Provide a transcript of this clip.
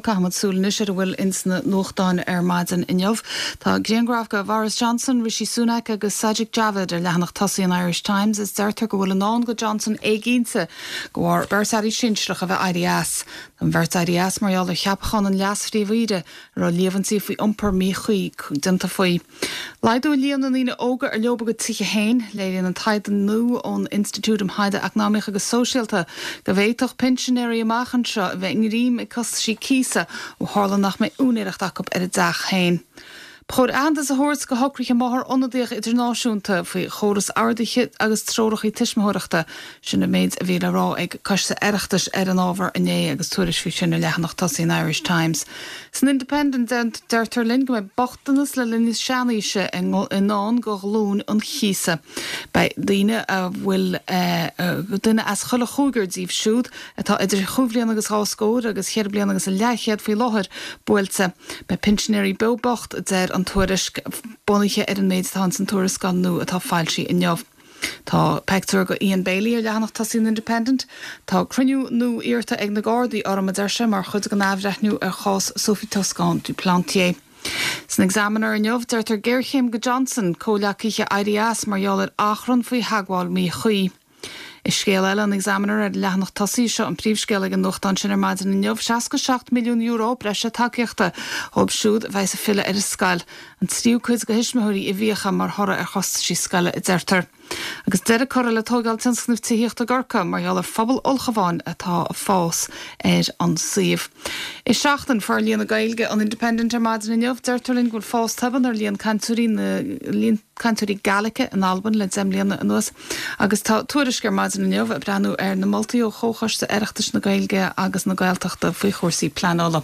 Caithfimid súil anois ar a bhfuil ins na nuachtáin ar maidin inniu. Tá grianghraf de Bhoris Johnson, Rishi Sunak agus Sajid Javid ar leathanach tosaigh an Irish Times is deirtear go bhfuil i ndán do Johnson éiginnte de bharr beirt airí sinsearach a bheith éirithe as. Tá an bheirt éirithe as mar gheall ar cheapachán an leas-phríomh-aoire a raibh líomhaintí faoi iompar míchuí déanta faoi. Laghdú i líon na ndaoine óga ar leo a gcuid tithe féin. Léiríonn an taighde nua ón Institiúid um Thaighde Eacnamaíoch agus Sóisialta go bhféadfadh pinsinéirí amach anseo a bheith i ngreim ag costaisí cíosa ó tharla nach mbeidh úinéireacht acu ar a dteach féin. Ba chóir aitheantas a thabhairt do shocruithe máthar ionadaíoch idirnáisiúnta faoi chóras orduithe agus treoracha tuismitheoireachta. Sin an méid a bhí le rá ag Coiste Oireachtais ar an ábhar inné agus tuairisc faoi sin ar leathanach tosaigh an Irish Times. San Independent deirtear linn go mbeidh bochtanas le linn na seanaoise i ndán do ghlúin an chíosa. Beidh daoine a bhfuil duine as chuile chúigear díobh siúd atá idir chúig bhliana agus dhá scór agus cheithre bliana agus a leathchéad faoi láthair buailte. Beidh pinsinéirí beo bocht, a deir an tuairisc, bunaithe ar an méid atá ins an tuarascáil nua atá foilsithe inniu. Tá peictiúr de Ian Bailey ar leathanach tosaigh an Independent. Tá cruinniú nua iarrta ag na Gardaí orm, a deir sé, mar chuid den athbhreithniú ar chás Sophie Toscan du Plantier. San Examiner inniu, deirtear géarchéim do Johnson, comhghleacaithe éirithe as mar gheall ar achrann faoi theagmháil mhíchuí. I scéal eile an Examiner ar an leathanach tosaigh, seo an príomhscéal ag an nuachtán sin ar maidin inniu, €67 milliún breise tacaíochta dhóibh siúd a bheas ag filleadh ar an scoil. An tríú cuid de thuismitheoirí i bhfiacha mar thoradh ar chostaisí scoile, a deirtear. Agus deireadh curtha le tóigeáil tionscnaimh tithíochta i gCorcaigh mar gheall ar phobal ulchabháin atá ag fás ar an suíomh. I Seachtain Forlíonadh Gaeilge an Independent ar maidin inniu, deirtear linn go bhfuil fás tobann ar líon cainteoirí na líon cainteoirí Gaelice in Albain le 10 mbliana anuas agus tá tuairisc ar maidin inniu ag breathnú ar na moltaí ó Chomhchoiste Oireachtais na Gaeilge agus na Gaeltachta faoi chúrsaí pleanála.